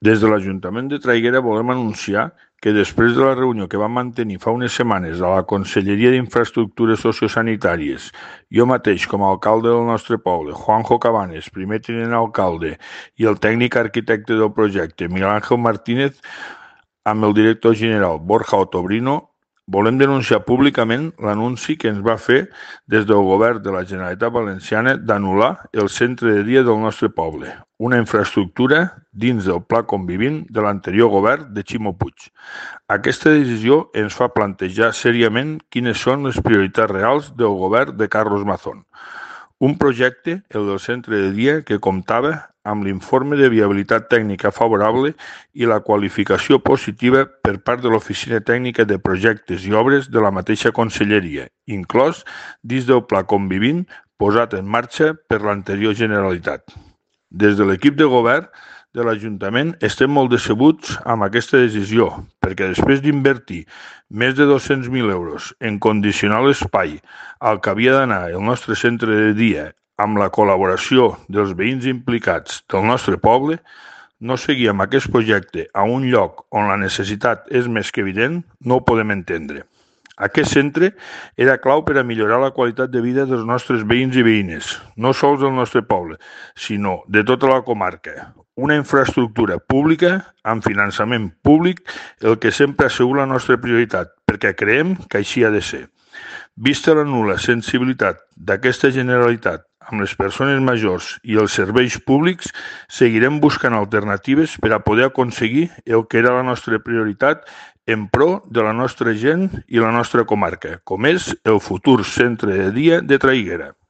Des de l'Ajuntament de Traiguera volem anunciar que després de la reunió que vam mantenir fa unes setmanes a la Conselleria d'Infraestructures Sociosanitàries, jo mateix com a alcalde del nostre poble, Juanjo Cabanes, primer tinent alcalde, i el tècnic arquitecte del projecte, Miguel Ángel Martínez, amb el director general Borja Otobrino, volem denunciar públicament l'anunci que ens va fer des del govern de la Generalitat Valenciana d'anul·lar el centre de dia del nostre poble, una infraestructura dins del Pla Convivint de l'anterior govern de Ximo Puig. Aquesta decisió ens fa plantejar seriament quines són les prioritats reals del govern de Carlos Mazón. Un projecte, el del centre de dia, que comptava amb l'informe de viabilitat tècnica favorable i la qualificació positiva per part de l'Oficina Tècnica de Projectes i Obres de la mateixa Conselleria, inclòs dins del Pla Convivint posat en marxa per l'anterior Generalitat. Des de l'equip de govern de l'Ajuntament estem molt decebuts amb aquesta decisió, perquè després d'invertir més de 200.000 euros en condicionar l'espai al que havia d'anar el nostre centre de dia amb la col·laboració dels veïns implicats del nostre poble, no seguir amb aquest projecte a un lloc on la necessitat és més que evident, no ho podem entendre. Aquest centre era clau per a millorar la qualitat de vida dels nostres veïns i veïnes, no sols del nostre poble, sinó de tota la comarca. Una infraestructura pública amb finançament públic, el que sempre ha sigut la nostra prioritat, perquè creiem que així ha de ser. Vista la nul·la sensibilitat d'aquesta Generalitat amb les persones majors i els serveis públics, seguirem buscant alternatives per a poder aconseguir el que era la nostra prioritat en pro de la nostra gent i la nostra comarca, com és el futur centre de dia de Traiguera.